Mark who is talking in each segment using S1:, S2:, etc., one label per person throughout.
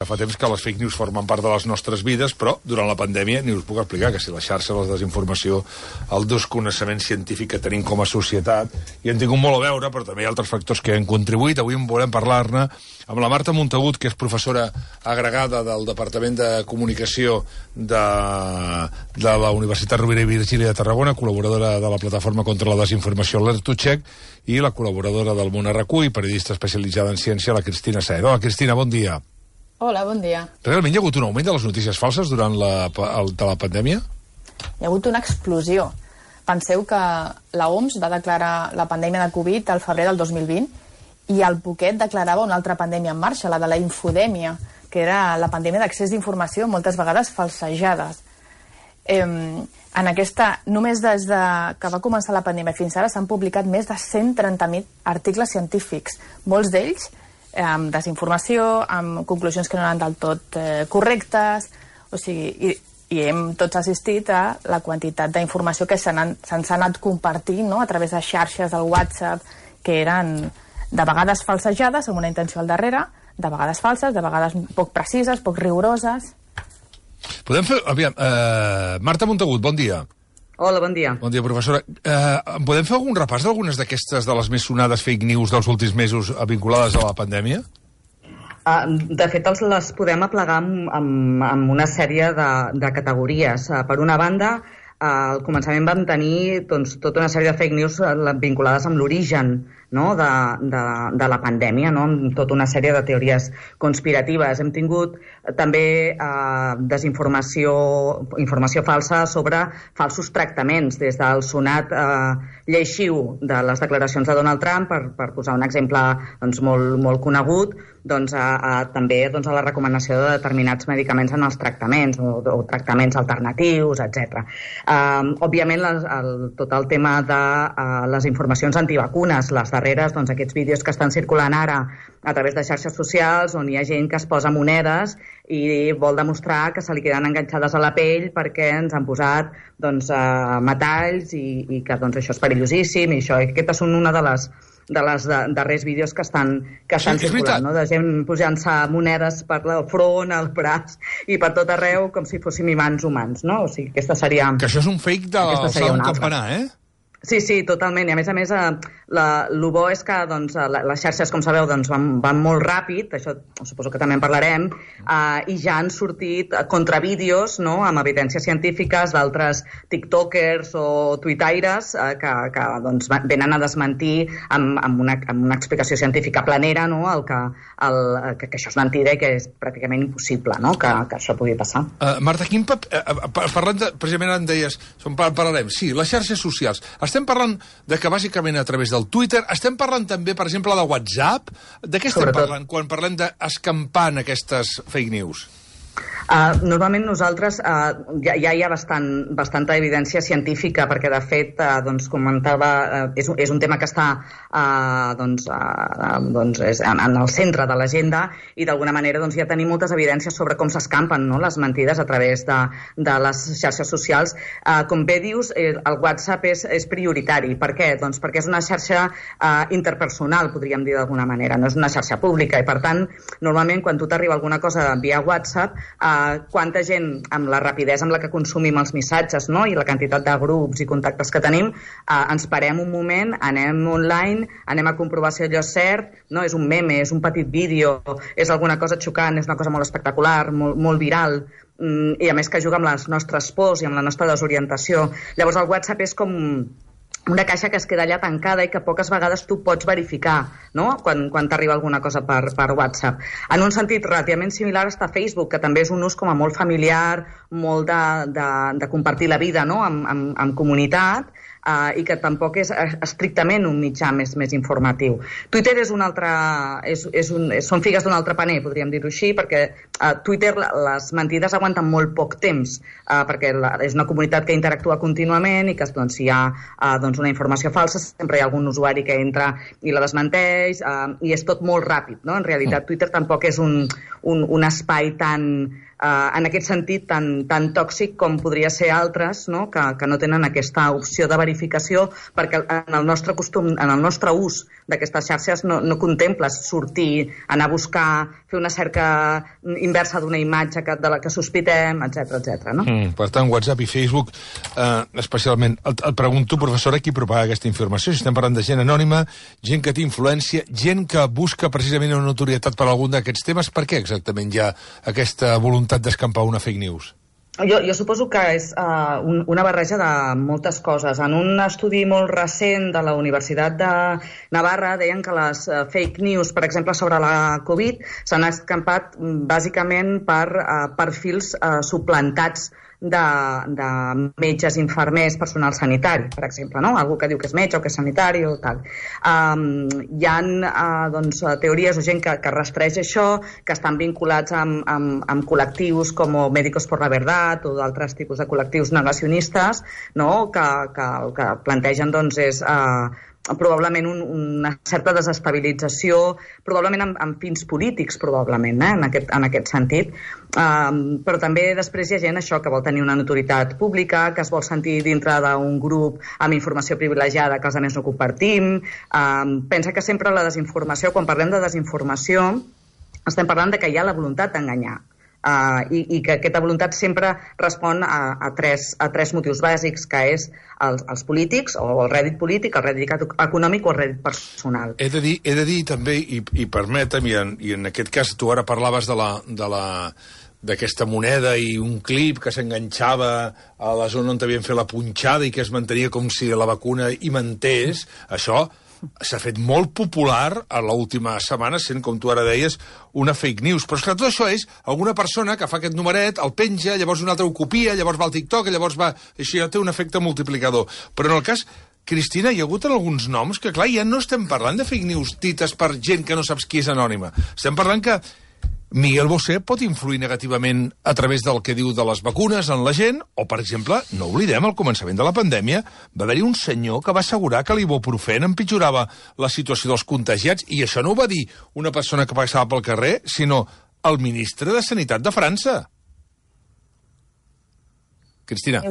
S1: Fa temps que les fake news formen part de les nostres vides, però durant la pandèmia ni us puc explicar que si la xarxa, la desinformació, el desconeixement científic que tenim com a societat, hi han tingut molt a veure, però també hi ha altres factors que han contribuït. Avui en volem parlar-ne amb la Marta Montagut, que és professora agregada del Departament de Comunicació de la Universitat Rovira i Virgili de Tarragona, col·laboradora de la Plataforma contra la Desinformació, l'Ertucheck, i la col·laboradora del Món RQ i periodista especialitzada en ciència, la Cristina Saer. Hola, Cristina, bon dia.
S2: Hola, bon dia.
S1: Realment hi ha hagut un augment de les notícies falses durant la pandèmia?
S2: Hi ha hagut una explosió. Penseu que l'OMS va declarar la pandèmia de Covid al febrer del 2020 i al poquet declarava una altra pandèmia en marxa, la de la infodèmia, que era la pandèmia d'accés d'informació, moltes vegades falsejades. Només des que va començar la pandèmia fins ara s'han publicat més de 130.000 articles científics, molts d'ells amb desinformació, amb conclusions que no eren del tot correctes, o sigui, i hem tots assistit a la quantitat d'informació que se'ns ha anat compartint, no?, a través de xarxes del WhatsApp, que eren de vegades falsejades, amb una intenció al darrere, de vegades falses, de vegades poc precises, poc rigoroses.
S1: Podem fer... Aviam, Marta Montagut, bon dia.
S3: Hola, bon dia.
S1: Bon dia, professora. Podem fer algun repàs d'algunes d'aquestes de les més sonades fake news dels últims mesos vinculades a la pandèmia?
S3: De fet, les podem aplegar amb una sèrie de categories. Per una banda, al començament vam tenir tota una sèrie de fake news vinculades amb l'origen, no?, de la pandèmia, no?, amb tota una sèrie de teories conspiratives. Hem tingut també informació falsa sobre falsos tractaments, des del sonat lleixiu de les declaracions de Donald Trump, per posar un exemple molt conegut, també a la recomanació de determinats medicaments en els tractaments o tractaments alternatius, etc. Òbviament, tot el tema de les informacions antivacunes, les darreres, aquests vídeos que estan circulant ara a través de xarxes socials, on hi ha gent que es posa monedes i vol demostrar que se li queden enganxades a la pell perquè ens han posat metalls i que això és perillosíssim, i aquestes són una de les darrers vídeos que estan circulant, no?, de gent posant-se monedes per el front, al braç i per tot arreu, com si fóssim imants humans, no? O sigui, aquesta seria...
S1: Que això és un fake de l'alçar un campanar, eh?
S3: Sí, totalment. I a més, el bo és que les xarxes, com sabeu, van molt ràpid, això suposo que també en parlarem, i ja han sortit contravídeos, no?, amb evidències científiques d'altres tiktokers o tuitaires que venen a desmentir amb una explicació científica planera, no?, que això és mentida i que és pràcticament impossible, no?, que això pugui passar.
S1: Marta, parlant precisament en deies, parlarem, sí, les xarxes socials. Estem parlant de que bàsicament a través del Twitter, estem parlant també, per exemple, de WhatsApp. De què estem parlant quan parlem d'escampar aquestes fake news?
S3: Normalment nosaltres ja hi ha bastanta evidència científica, perquè de fet, comentava, és un tema que està en el centre de l'agenda, i d'alguna manera ja tenim moltes evidències sobre com s'escampen, no?, les mentides a través de les xarxes socials. Com bé dius, el WhatsApp és prioritari. Per què? Doncs perquè és una xarxa interpersonal, podríem dir d'alguna manera, no és una xarxa pública, i per tant, normalment quan tu t'arriba alguna cosa via WhatsApp, quanta gent, amb la rapidesa amb la que consumim els missatges, no?, i la quantitat de grups i contactes que tenim, ens parem un moment, anem online, anem a comprovar si allò és cert, no?, és un meme, és un petit vídeo, és alguna cosa xocant, és una cosa molt espectacular, molt viral, i a més que juga amb les nostres pors i amb la nostra desorientació. Llavors el WhatsApp és com una caixa que es queda allà tancada i que poques vegades tu pots verificar, no?, quan t'arriba alguna cosa per WhatsApp. En un sentit relativament similar està Facebook, que també és un ús com a molt familiar, molt de compartir la vida, no?, amb comunitat, i que tampoc és estrictament un mitjà més informatiu. Twitter és un altre... són figues d'un altre paner, podríem dir-ho així, perquè a Twitter les mentides aguanten molt poc temps, perquè és una comunitat que interactua contínuament i que si hi ha una informació falsa sempre hi ha algun usuari que entra i la desmenteix, i és tot molt ràpid, no? En realitat Twitter tampoc és un espai tan... en aquest sentit tan tòxic com podria ser altres, no?, que no tenen aquesta opció de verificar verificació, perquè en el nostre costum, en el nostre ús d'aquestes xarxes no contemples sortir, anar a buscar, fer una cerca inversa d'una imatge de la que sospitem, etc. No?
S1: Per tant, WhatsApp i Facebook, especialment. Et pregunto, professora, qui propaga aquesta informació? Si estem parlant de gent anònima, gent que té influència, gent que busca precisament una notorietat per algun d'aquests temes, per què exactament hi ha aquesta voluntat d'escampar una fake news?
S3: Jo suposo que és una barreja de moltes coses. En un estudi molt recent de la Universitat de Navarra deien que les fake news, per exemple, sobre la Covid, s'han escampat bàsicament per perfils suplantats de metges, infermers, personal sanitari, per exemple, no? Algú que diu que és metge o que és sanitari o tal. Hi ha teories o gent que rastreja això, que estan vinculats amb col·lectius com Médicos por la Verdad o d'altres tipus de col·lectius negacionistes, no? que plantegen és probablement una certa desestabilització, probablement amb fins polítics, probablement, en aquest sentit. Però també després hi ha gent això que vol tenir una notorietat pública, que es vol sentir dintre d'un grup amb informació privilegiada que els altres no compartim. Pensa que sempre la desinformació, quan parlem de desinformació, estem parlant de que hi ha la voluntat d'enganyar. I que aquesta voluntat sempre respon a tres motius bàsics, que és els polítics, o el rèdit polític, el rèdit econòmic o el rèdit personal.
S1: He de dir també, i permetem, i en aquest cas tu ara parlaves d'aquesta moneda i un clip que s'enganxava a la zona on havien fet la punxada i que es mantenia com si la vacuna hi mantés, això s'ha fet molt popular a l'última setmana, sent, com tu ara deies, una fake news. Però, esclar, tot això és alguna persona que fa aquest numeret, el penja, llavors un altre ho copia, llavors va al TikTok, llavors va... Això ja té un efecte multiplicador. Però en el cas, Cristina, hi ha hagut alguns noms que, clar, ja no estem parlant de fake news dites per gent que no saps qui és anònima. Estem parlant que Miguel Bosé pot influir negativament a través del que diu de les vacunes en la gent, o, per exemple, no oblidem, al començament de la pandèmia va haver-hi un senyor que va assegurar que l'ibuprofèn empitjorava la situació dels contagiats, i això no ho va dir una persona que passava pel carrer, sinó el ministre de Sanitat de França. Cristina.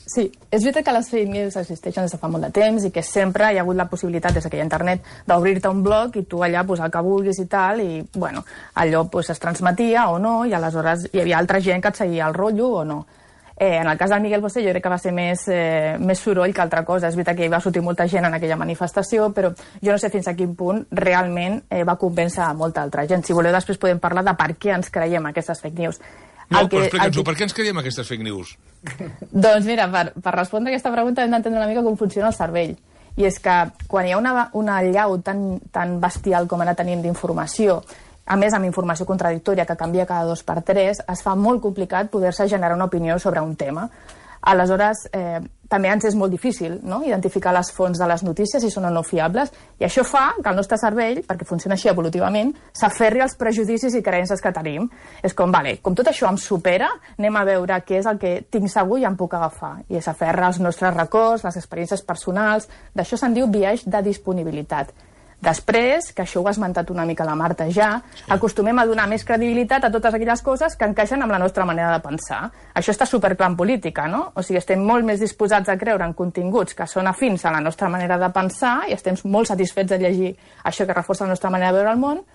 S2: Sí, és veritat que les fake news existeixen des de fa molt de temps i que sempre hi ha hagut la possibilitat, des que hi ha internet, d'obrir-te un blog i tu allà posar el que vulguis i tal, i bueno, allò es transmetia o no, i aleshores hi havia altra gent que et seguia el rotllo o no. En el cas del Miguel Bosé jo crec que va ser més soroll que altra cosa. És veritat que hi va sortir molta gent en aquella manifestació, però jo no sé fins a quin punt realment va convèncer a molta altra gent. Si voleu, després podem parlar de per què ens creiem aquestes fake news.
S1: No, però explica'ns-ho, per què ens creiem aquestes fake news?
S2: Doncs mira, per respondre a aquesta pregunta hem d'entendre una mica com funciona el cervell. I és que quan hi ha una allau tan bestial com ara tenim d'informació, a més amb informació contradictòria que canvia cada 2x3, es fa molt complicat poder-se generar una opinió sobre un tema. Aleshores, també ens és molt difícil, no?, identificar les fonts de les notícies, si són o no fiables, i això fa que el nostre cervell, perquè funciona així evolutivament, s'aferri als prejudicis i creences que tenim. És com, com tot això em supera, anem a veure què és el que tinc segur i em puc agafar. I s'aferra als nostres records, les experiències personals. D'això se'n diu biaix de disponibilitat. Després, que això ho ha esmentat una mica la Marta ja, acostumem a donar més credibilitat a totes aquelles coses que encaixen amb la nostra manera de pensar. Això està superclar en política, no? O sigui, estem molt més disposats a creure en continguts que són afins a la nostra manera de pensar i estem molt satisfets de llegir això que reforça la nostra manera de veure el món.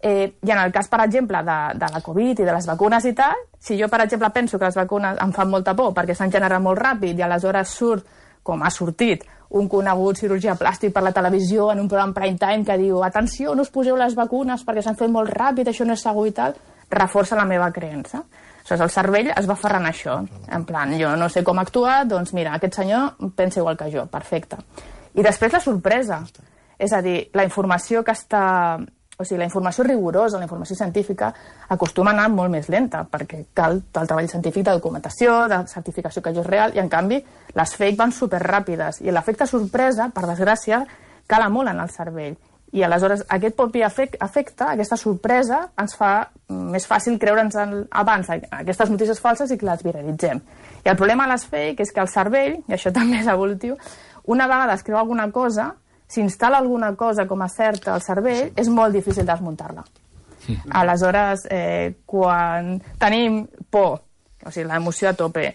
S2: I en el cas, per exemple, de la Covid i de les vacunes i tal, si jo, per exemple, penso que les vacunes em fan molta por perquè s'han generat molt ràpid i aleshores surt, com ha sortit, un conegut cirurgià plàstic per la televisió en un programa prime time que diu atenció, no us poseu les vacunes perquè s'han fet molt ràpid, això no és segur i tal, reforça la meva creença. Aleshores, el cervell es va aferrant a això. En plan, jo no sé com actuar, doncs mira, aquest senyor pensa igual que jo, perfecte. I després la sorpresa. És a dir, la informació que està... O sigui, la informació rigorosa, la informació científica, acostuma a anar molt més lenta, perquè cal el treball científic de documentació, de certificació que allò és real, i en canvi les fake van superràpides. I l'efecte sorpresa, per desgràcia, cala molt en el cervell. I aleshores aquest propi efecte, aquesta sorpresa, ens fa més fàcil creure'ns abans aquestes notícies falses i que les viralitzem. I el problema de les fake és que el cervell, i això també és evolutiu, una vegada es creu alguna cosa, si instal·la alguna cosa com a certa al cervell, és molt difícil desmuntar-la. Aleshores, quan tenim por, o sigui, l'emoció a tope,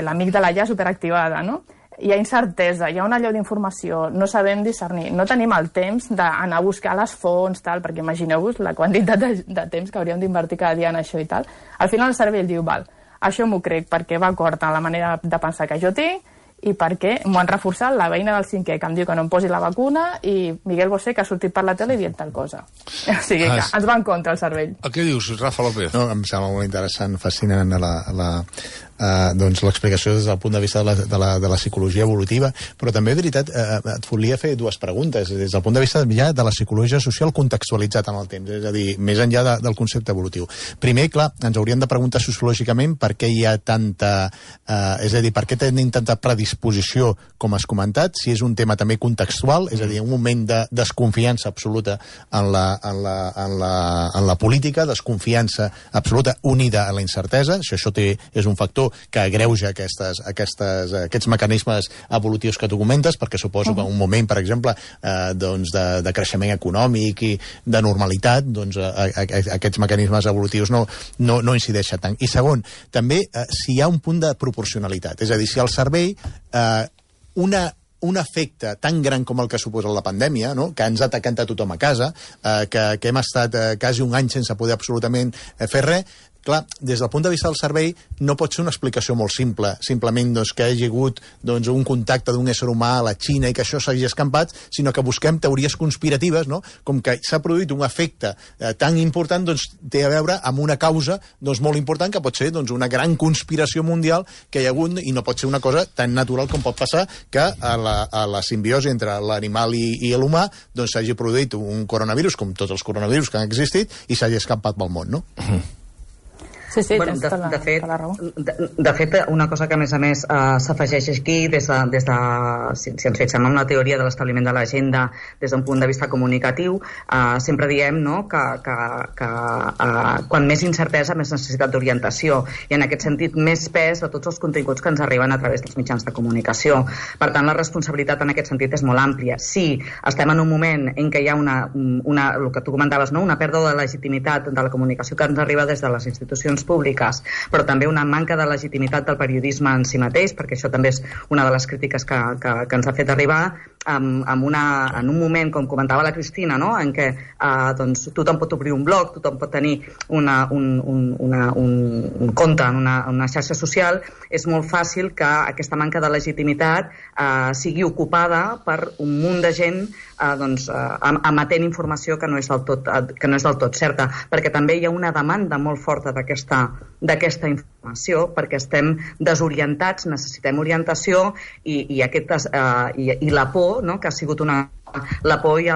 S2: l'amígdala ja superactivada, no? hi ha incertesa, hi ha una allau d'informació, no sabem discernir, no tenim el temps d'anar a buscar les fonts, tal, perquè imagineu-vos la quantitat de temps que hauríem d'invertir cada dia en això i tal. Al final el cervell diu, val, això m'ho crec perquè va acord amb la manera de pensar que jo tinc i perquè m'ho han reforçat la veïna del 5è que em diu que no em posi la vacuna i Miguel Bosé que ha sortit per la tele dient tal cosa. O sigui que ens va en contra el cervell.
S1: Què dius, Rafa López?
S4: No, em sembla molt interessant, fascinant doncs l'explicació des del punt de vista de la psicologia evolutiva, però també, de veritat, et volia fer dues preguntes, des del punt de vista ja de la psicologia social contextualitzat en el temps, és a dir, més enllà del concepte evolutiu. Primer, clar, ens hauríem de preguntar sociològicament per què hi ha tanta... és a dir, per què tenim tanta predisposició, com has comentat, si és un tema també contextual, és a dir, un moment de desconfiança absoluta en la política, desconfiança absoluta unida a la incertesa, si això és un factor que agreuja aquests mecanismes evolutius que tu comentes, perquè suposo que en un moment, per exemple, de creixement econòmic i de normalitat, doncs aquests mecanismes evolutius no incideixen tant. I segon, també si hi ha un punt de proporcionalitat, és a dir, si el cervell un efecte tan gran com el que suposa la pandèmia, no? Que ens ha atacat a tothom a casa, que hem estat quasi un any sense poder absolutament fer res, clar, des del punt de vista del cervell no pot ser una explicació molt simple, simplement que hi hagi hagut un contacte d'un ésser humà a la Xina i que això s'hagi escampat, sinó que busquem teories conspiratives, no? Com que s'ha produït un efecte tan important, té a veure amb una causa molt important que pot ser una gran conspiració mundial que hi ha hagut i no pot ser una cosa tan natural com pot passar que a la simbiosi entre l'animal i l'humà s'hagi produït un coronavirus, com tots els coronavirus que han existit, i s'hagi escampat pel món, no?
S2: Sí,
S3: bueno,
S2: tens tota la raó.
S3: De fet, una cosa que a més s'afegeix aquí, si ens fixem en la teoria de l'establiment de l'agenda des d'un punt de vista comunicatiu, sempre diem que quan més incertesa, més necessitat d'orientació, i en aquest sentit més pes de tots els continguts que ens arriben a través dels mitjans de comunicació. Per tant, la responsabilitat en aquest sentit és molt àmplia. Sí, estem en un moment en què hi ha el que tu comentaves, una pèrdua de legitimitat de la comunicació que ens arriba des de les institucions públiques, però també una manca de legitimitat del periodisme en si mateix, perquè això també és una de les crítiques que ens ha fet arribar en un moment, com comentava la Cristina, en què tothom pot obrir un blog, tothom pot tenir un compte en una xarxa social, és molt fàcil que aquesta manca de legitimitat sigui ocupada per un munt de gent emetent informació que no és del tot certa, perquè també hi ha una demanda molt forta d'aquesta informació, perquè estem desorientats, necessitem orientació i la por, que ha sigut la por i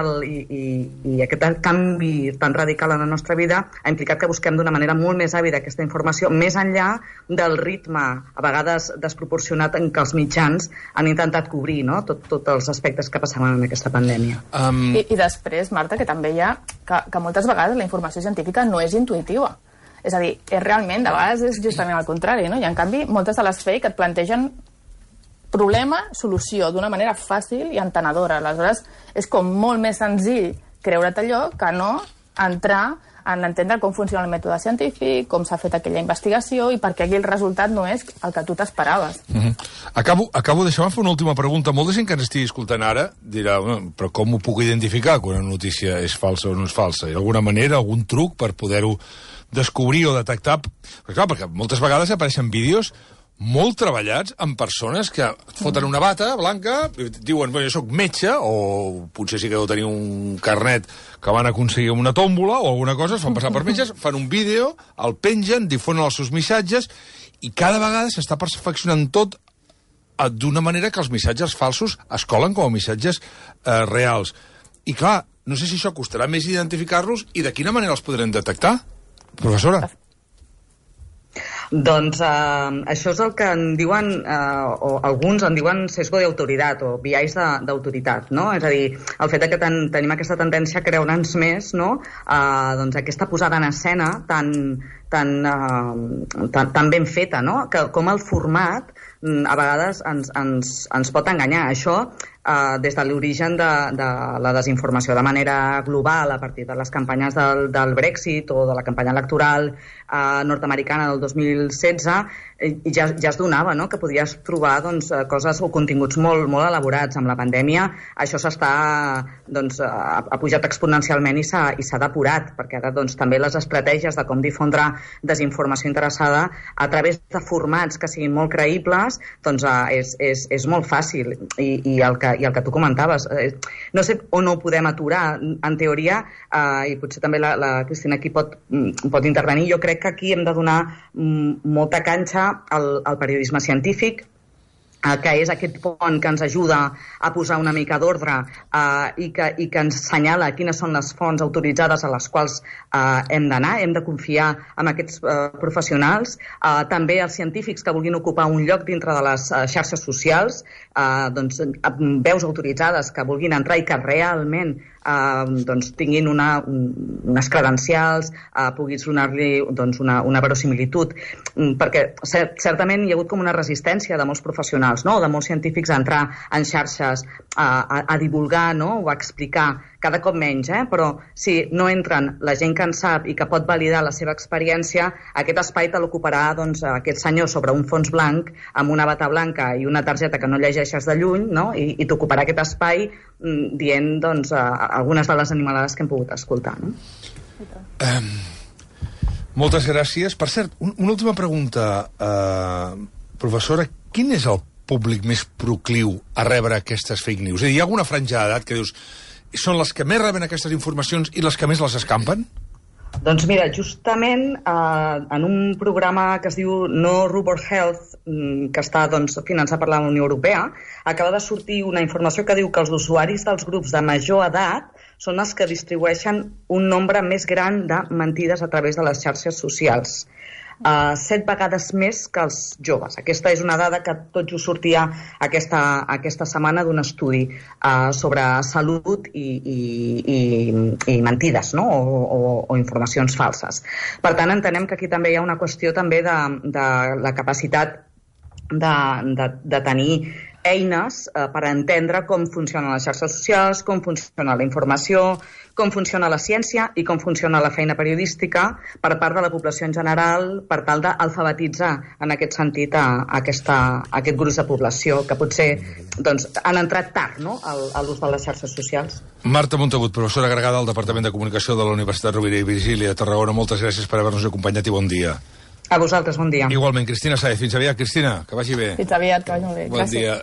S3: aquest canvi tan radical en la nostra vida ha implicat que busquem d'una manera molt més àvida aquesta informació, més enllà del ritme, a vegades desproporcionat, en què els mitjans han intentat cobrir tots els aspectes que passaven en aquesta pandèmia.
S2: I després, Marta, que també hi ha que moltes vegades la informació científica no és intuïtiva. És a dir, realment, de vegades és justament al contrari, no? I en canvi, moltes de les fake et plantegen problema, solució, d'una manera fàcil i entenedora. Aleshores, és com molt més senzill creure't allò que no entrar en entendre com funciona el mètode científic, com s'ha fet aquella investigació i per què aquí el resultat no és el que tu t'esperaves.
S1: Acabo deixant fer una última pregunta. Molta gent que ens estigui escoltant ara dirà, però com ho puc identificar quan una notícia és falsa o no és falsa? Hi ha alguna manera, algun truc per poder-ho descobrir o detectar? Perquè moltes vegades apareixen vídeos molt treballats amb persones que foten una bata blanca, diuen, jo soc metge, o potser sí que deu tenir un carnet que van aconseguir amb una tòmbola o alguna cosa, es fan passar per metges, fan un vídeo, el pengen, difonen els seus missatges, i cada vegada s'està perfeccionant tot d'una manera que els missatges falsos es colen com a missatges reals. I clar, no sé si això costarà més identificar-los i de quina manera els podrem detectar, professora?
S3: Doncs això és el que en diuen, o alguns en diuen sesgo d'autoritat o biais d'autoritat, no? És a dir, el fet que tenim aquesta tendència a creure'ns més, no? Doncs aquesta posada en escena tan tan ben feta, no? Que com el format a vegades ens pot enganyar. Això, des de l'origen de la desinformació de manera global a partir de les campanyes del Brexit o de la campanya electoral nord-americana del 2016, ja es donava, no?, que podies trobar coses o continguts molt elaborats. Amb la pandèmia això ha pujat exponencialment i s'ha depurat, perquè ara també les estratègies de com difondre desinformació interessada a través de formats que siguin molt creïbles és molt fàcil. I el que tu comentaves, no sé on ho podem aturar. En teoria, i potser també la Cristina aquí pot intervenir, jo crec que aquí hem de donar molta canxa al periodisme científic, que és aquest pont que ens ajuda a posar una mica d'ordre i que ens assenyala quines són les fonts autoritzades a les quals hem d'anar, hem de confiar en aquests professionals. També els científics que vulguin ocupar un lloc dintre de les xarxes socials, veus autoritzades que vulguin entrar i que realment tinguin unes credencials, puguis donar-li una verosimilitud, perquè certament hi ha hagut com una resistència de molts professionals, no?, de molts científics a entrar en xarxes a divulgar, no?, o a explicar, cada cop menys, però si no entren la gent que en sap i que pot validar la seva experiència, aquest espai te l'ocuparà aquest senyor sobre un fons blanc amb una bata blanca i una targeta que no llegeixes de lluny, no?, i t'ocuparà aquest espai dient algunes de les animalades que hem pogut escoltar, no?
S1: Moltes gràcies. Per cert, una última pregunta, professora, quin és el públic més procliu a rebre aquestes fake news? És a dir, hi ha alguna franja d'edat que dius són les que més reben aquestes informacions i les que més les escampen?
S3: Doncs mira, justament en un programa que es diu No Rubber Health, que està finançat per la Unió Europea, acaba de sortir una informació que diu que els usuaris dels grups de major edat són els que distribueixen un nombre més gran de mentides a través de les xarxes socials. 7 vegades més que els joves. Aquesta és una dada que tot just sortia aquesta setmana d'un estudi sobre salut i mentides, no?, o informacions falses. Per tant, entenem que aquí també hi ha una qüestió també de la capacitat de tenir eines per entendre com funcionen les xarxes socials, com funciona la informació, com funciona la ciència i com funciona la feina periodística per part de la població en general, per tal d'alfabetitzar en aquest sentit aquest gruix de població que potser han entrat tard, no?, a l'ús de les xarxes socials.
S1: Marta Montagut, professora agregada al Departament de Comunicació de la Universitat Rovira i Virgili a Tarragona, moltes gràcies per haver-nos acompanyat i bon dia.
S3: A vosaltres, bon dia.
S1: Igualment, Cristina Sáez. Fins aviat, Cristina, que vagi bé.
S2: Fins aviat, que vagi molt bé.
S1: Bon dia.